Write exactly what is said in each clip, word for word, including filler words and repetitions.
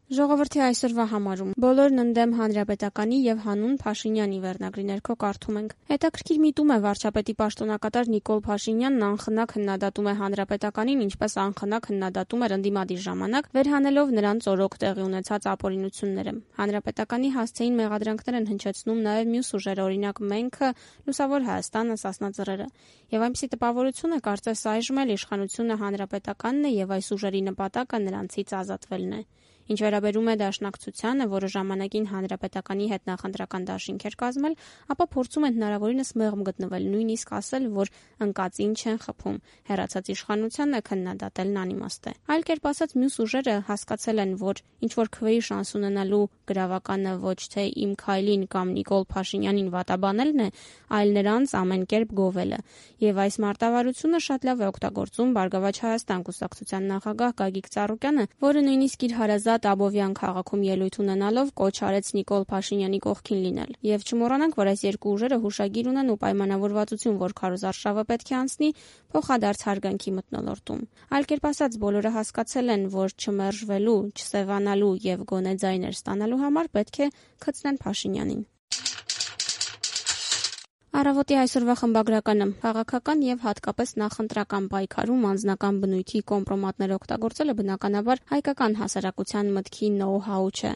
Ժողովրդի այսօրվա համարում բոլորն ընդդեմ Հանրապետականի եւ Հանուն Փաշինյանի վերնագրի ներքո կարդում ենք. Հետաքրքիր միտում է վարչապետի պաշտոնակատար Նիկոլ Փաշինյանն անխնա քննադատում է Հանրապետականին, ինչպես անխնա քննադատում էր ընդդիմադիր ժամանակ, վերհանելով նրանց օրոք տեղի ունեցած ապօրինությունները։ Հանրապետականի հասցեին մեղադրանքներ են հնչեցնում նաեւ մյուս ուժերը, օրինակ Մենքը, Լուսավոր Հայաստանը, Սասնա Ծռերը։ Եվ այնպիսի տպավորություն է, կարծես այժմ էլ իշխանությունը Հանրապետականն է եւ այս ուժերի նպատակը նրանցից ազատվելն է։ Ինչ վերաբերում է դաշնակցությանը, որը ժամանակին Հանրապետականի հետ նախընտրական դաշինք էր կազմել, ապա փորձում են հնարավորինս մեղմ գտնվել, նույնիսկ ասել, որ ընկածին չեն խփում, հեռացած իշխանությանն է քննադատելն անիմաստ է։ Այլ կերպ ասած, մյուս ուժերը հասկացել են, որ ինչ որ քվեի շանս ունենալու գրավականը ոչ թե Իմ Քայլին կամ Նիկոլ Փաշինյանին վատաբանելն է, այլ նրանց ամեն կերպ գովելը։ Եվ այս մարտավարությունը շատ լավ է օգտագործում Բարգավաճ Հայաստան կուսակցության նախագահ Գագիկ Ծառուկյանը, որը նույնիսկ իր հարազատ Աբովյան քաղաքում ելույթ ունենալով կոչ արեց Նիկոլ Փաշինյանի կողքին լինել։ Եվ չմոռանանք, որ այս երկու ուժերը հուշագիր ունեն ու պայմանավորվածություն, որ քարոզարշավը պետք է անցնի փոխադարձ հարգանքի մթնոլորտում։ Այլ կերպ ասած, բոլորը հասկացել են, որ չմերժվելու, չսևանալու եւ գոնե ձայներ ստանալու համար պետք է քծնեն Փաշինյանին։ Առավոտի այսօրվա խմբագրականը քաղաքական եւ հատկապես նախընտրական պայքարում անձնական բնույթի կոմպրոմատներ օգտագործելը բնականաբար հայկական հասարակության մտքի նոու-հաու չէ։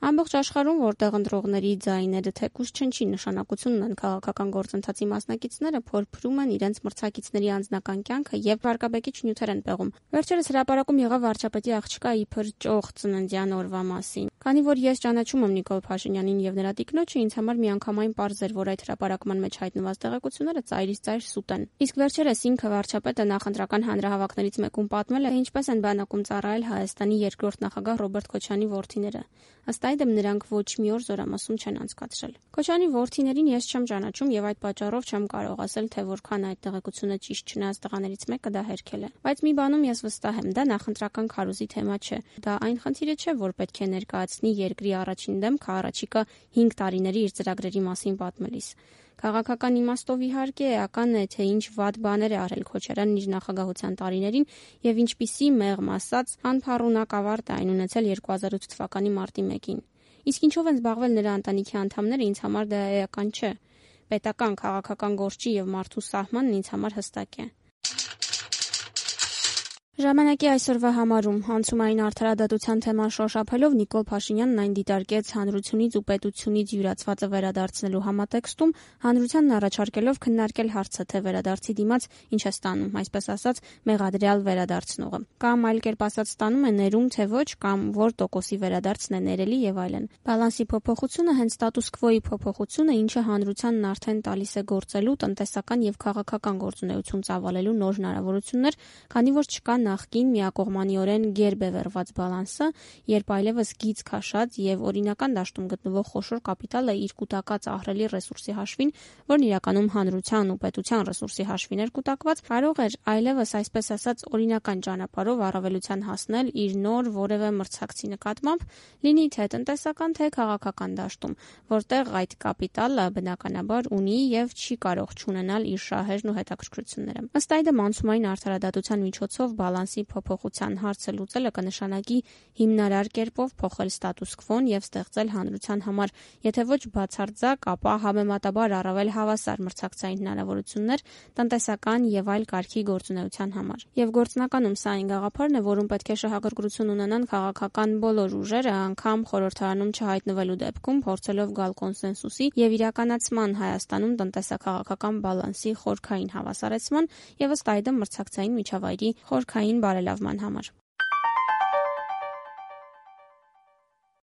Ամբողջ աշխարհում, որտեղ ընտրողների ձայները թեկուզ չնչի նշանակություն ունեն քաղաքական գործընթացի մասնակիցները, փորփրում են իրենց մրցակիցների անձնական կյանքը եւ վարկաբեկիչ նյութեր են պեղում։ Վերջերս հրապարակում եղավ վարչապետի աղջկա իբր ճոխ ծննդյան օրվա մասին։ Քանի որ ես ճանաչում եմ Նիկոլ Փաշինյանին եւ նրա տիկնոջը, ինձ համար միանգամայն պարզ էր, որ այդ հրապարակման մեջ հայտնված տեղեկությունները ծայրից ծայր սուտ են։ Իսկ վերջերս ինքը վարչապետը նախընտրական հանրահավաքներից մեկում պատմել է, ինչպես են բանակում ծառայել Հայաստանի երկրորդ նախագահ Ռոբերտ Քոչարյանի որդիները։ Ըստ այդմ նրանք ոչ մի օր զորամասում չեն անցկացրել։ Քոչարյանի որդիներին ես չեմ ճանաչում եւ այդ պատճառով չեմ կարող ասել, թե որքան այդ տեղեկությունը ճիշտ չնայած տղաներից մեկը դա հերքել է։ Բայց մի բանում ես վստահ եմ, դա նախընտրական քարոզի թեմա չէ։ Դա այն խնդիրը չէ, որ պետք է ներկայացնի երկրի առաջին դեմքը առաջիկա հինգ տարիների իր ծրագրերի մասին պատմելիս։ Քաղաքական իմաստով իհարկե էական է, թե ինչ վատ բաներ է արել Քոչարյանն իր նախագահության տարիներին եւ ինչպիսի մեղմ ասած անփառունակավարտ այն ունեցել երկու հազար ութ թվականի մարտի մեկին։ Իսկ ինչով են զբաղվել նրա ընտանիքի անդամները, ինձ համար դա էական չէ։ Պետական քաղաքական գործի եւ մարդու սահմանն ինձ համար հստակ է։ Ժամանակի այսօրվա համարում հանցումային արդարադատության թեման շոշափելով Նիկոլ Փաշինյանն այն դիտարկեց հանրությունից ու պետությունից յուրացվածը վերադարձնելու համատեքստում, հանրությանն առաջարկելով քննարկել հարցը, թե վերադարձի դիմաց ինչ է ստանում, այսպես ասած, մեղադրյալ վերադարձնողը։ Կամ այլ կերպ ասած, ստանում է ներում, թե ոչ, կամ որ տոկոսի վերադարձն է ներելի եւ այլն։ Բալանսի փոփոխությունը հենց ստատուս քվոյի փոփոխությունը, ինչը հանրությանն արդեն տալիս է գործելու, տնտեսական եւ քաղաքական գործունեություն ծավալելու նոր հնարավորություններ, քանի որ չկա նախկին միակողմանիորեն գերբևեռված բալանսը, երբ այլևս գիծ քաշած եւ օրինական դաշտում գտնվող խոշոր կապիտալը իր կուտակած ահռելի ռեսուրսի հաշվին, որն իրականում հանրության ու պետության ռեսուրսի հաշվին էր կուտակված, կարող էր այլևս այսպես ասած օրինական ճանապարհով առավելության հասնել իր նոր որևէ մրցակցի նկատմամբ, լինի թե տնտեսական, թե քաղաքական դաշտում, որտեղ այդ կապիտալը բնականաբար ունի եւ չի կարող չունենալ իր շահերն ու հետաքրքրությունները։ Ըստ այդմ անցումային արդարադատության միջոցով բալանսի փոփոխության հարցը լուծելը կնշանակի հիմնարար կերպով փոխել ստատուս քվոն եւ ստեղծել հանրության համար, եթե ոչ բացարձակ, ապա համեմատաբար առավել հավասար մրցակցային հնարավորություններ տնտեսական եւ այլ կարգի գործունեության համար։ Եվ գործնականում սա այն գաղափարն է, որում պետք է շահագրգռություն ունենան քաղաքական բոլոր ուժերը, անգամ խորհրդարանում չհայտնվելու դեպքում, փորձելով գալ կոնսենսուսի եւ իրականացման Հայաստանում տնտեսա-քաղաքական բալանսի խորքային հավասարեցման եւ ըստ այդմ մրցակցային միջավայրի խորքային բարելավման համար։